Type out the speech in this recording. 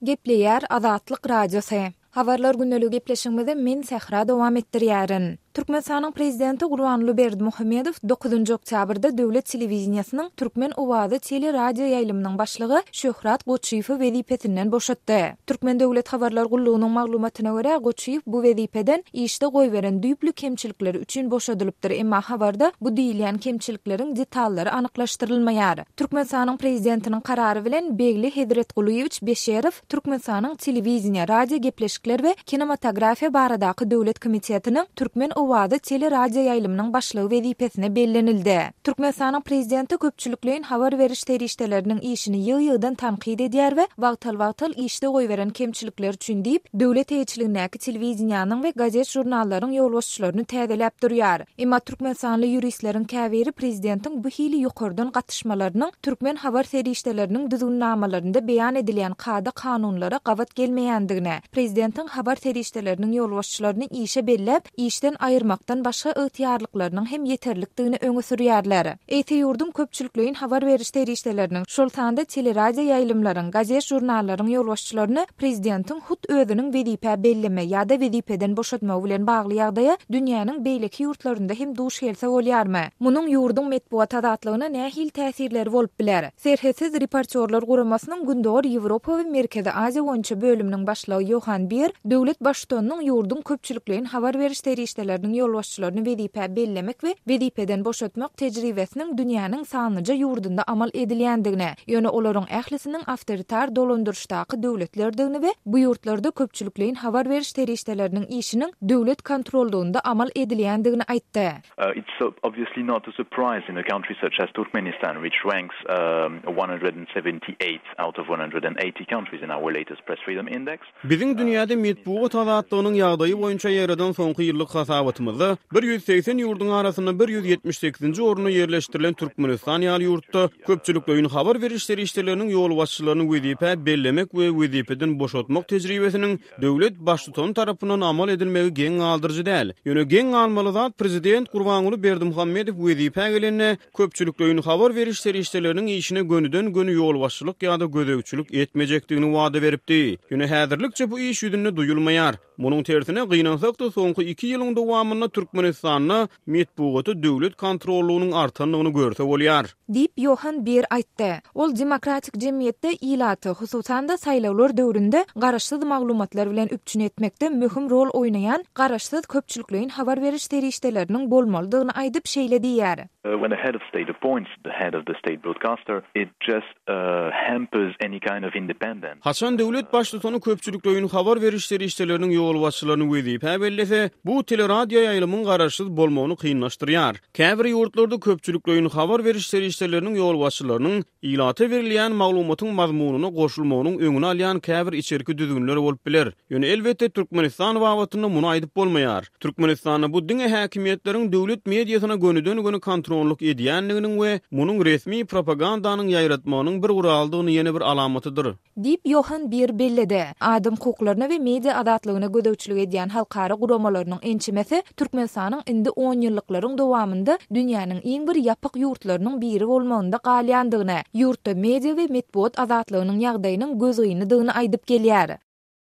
Gepleýär Azatlyk Radiosy. Habarlar gündeligi gepleşigimizi men Sähra dowam etdirýärin. Türkmenistanyň Prezidenti Gurbanguly Berdimuhamedow dokuzynjy oktýabrda döwlet telewideniýesiniň Türkmen owazy teleradioýaýlymynyň başlygy Şöhrat Goçyýewi wezipesinden boşatdy. Türkmen döwlet habarlar gullugynyň maglumatyna görä, Goçyýew bu wezipeden işde goýberen düýpli kemçilikleri üçin boşadylypdyr, emma habarda bu diýilýän kemçilikleriň detallary anyklaşdyrylmaýar. Türkmenistanyň Prezidentiniň karary bilen Begli Hezretgulyýewiç Beşerow Türkmenistanyň Telewideniýe, radiogepleşikler we kinematografiýa baradaky döwlet komitetiniň Türkmen owazy teleradioýaýlymynyň başlygy wezipesine bellenildi. Türkmenistanyň Prezidenti köpçülikleýin habar beriş serişdeleriniň işini ýygy-ýygydan tankyt edýär we wagtal-wagtal işde goýberen kemçilikleri üçin diýip, döwlet eýeçiligindäki telewideniýäniň we gazet-žurnallaryň ýolbaşçylaryny täzeläp durýar. Emma türkmenistanly ýuristleriň käbiri prezidentiň bu hili ýokardan gatyşmalarynyň türkmen habar serişdeleriniň düzgünnamalarynda beýan edilýän kada-kanunlara gabat gelmeýändigini, prezidentiň habar serişdeleriniň ýolbaşçylaryny işe belläp, işden aýyrmakdan başga ygtyýarlyklarynyň hem ýeterlikdigini öňe sürýärler. Eýse ýurduň köpçülikleýin habar beriş serişdeleriniň, şol sanda teleradioýaýlymlaryň, gazet-žurnallaryň ýolbaşçylaryny prezidentiň hut özüniň wezipä belleme ýa-da wezipeden boşatmagy bilen bagly ýagdaýa dünýäniň beýleki ýurtlarynda hem duş gelse bolýarmy? Munuň ýurduň metbugat azatlygyna nähili täsirleri bolup biler? Serhetsiz reportýorlar guramasynyň Gündogar Ýewropa we Merkezi Aziýa boýunça bölüminiň başlygy Ýohan Bier döwlet Baştutanynyň ýurduň köpçülikleýin habar beriş serişdeleriniň ýolbaşçylaryny wezipä bellemek we wezipeden boşatmak tejribesiniň dünýäniň sanlyja ýurdunda amal edilýändigini, ýöne olaryň ählisiniň awtoritar dolandyryşdaky döwletlerdigini we bu ýurtlarda köpçülikleýin habar beriş serişdeleriniň işiniň döwlet kontrollygynda amal edilýändigini aýtdy. It's obviously not a surprise in a country such as Turkmenistan, which ranks 178 out of 180 countries in our latest Press Freedom Index. Biziň dünýäde metbugat azatlygynyň ýagdaýy boýunça ýaýradan soňky ýyllyk hasabatymyzda 180 ýurduň arasynda 178-nji orunda ýerleşdirilen Türkmenistan ýaly ýurtda köpçülikleýin habar beriş serişdeleriniň ýolbaşçylaryny wezipä bellemek we wezipeden boşatmak tejribesiniň döwlet Baştutany tarapyndan amal edilmegi geň galdyryjy däl. Ýöne geň galmaly zat prezident Gurbanguly Berdimuhamedow wezipä gelende köpçülikleýin habar beriş serişdeleriniň işine gönüden-göni ýolbaşçylyk ýa-da gözegçilik etmejekdigini wada beripdi. Ýöne häzirlikçe bu iş ýüzünde duýulmaýar. Munuň tersine, gynansak-da, soňky iki ýylyň dowamynda Türkmenistanda metbugata döwlet kontrollygynyň artandygyny görse bolýar. Diýip, Ýohan Bier aýtdy. Ol demokratik jemgyýetde ilaty, hususan-da, saýlawlar döwründe garaşsyz maglumatlar bilen üpjün etmekde möhüm rol oýnaýan garaşsyz köpçülikleýin habar beriş serişdeleriniň bolmalydygyny aýdyp, şeýle diýýär. When a head of state appoints the head of the state broadcaster, it just hampers any kind of independence. Haçan döwlet baştutany köpçülikleýin habar beriş serişdeleriniň ýolbaşçylaryny wezipä bellese, bu teleradioýaýlymyň garaşsyz bolmagyny kynlaşdyrýar. Käbir ýurtlarda köpçülikleýin habar beriş serişdeleriniň ýolbaşçylarynyň ilata berilýän maglumatyň mazmunyna goşulmagynyň öňüni alýan käbir içerki düzgünler bolup biler. Ýöne, elbetde, Türkmenistan babatynda muny aýdyp bolmaýar. Türkmenistanda bu diňe häkimiýetleriň döwlet mediasyna gönüden-göni kontrollyk edýändiginiň we munuň resmi propagandanyň ýaýratmagynyň bir guralydygyny ýene bir alamatydyr. Diýip, Ýohan Bier belledi. Adam hukuklaryna we media azatlygyna gözegçilik edýän halkara guramalarynyň ençemesi Türkmenistanyň indi onýyllyklaryň dowamynda dünýäniň iň bir ýapyk ýurtlarynyň biri bolmagynda galýandygyny, ýurtda media we metbugat azatlygynyň ýagdaýynyň gözgynydygyny aýdyp gelýär.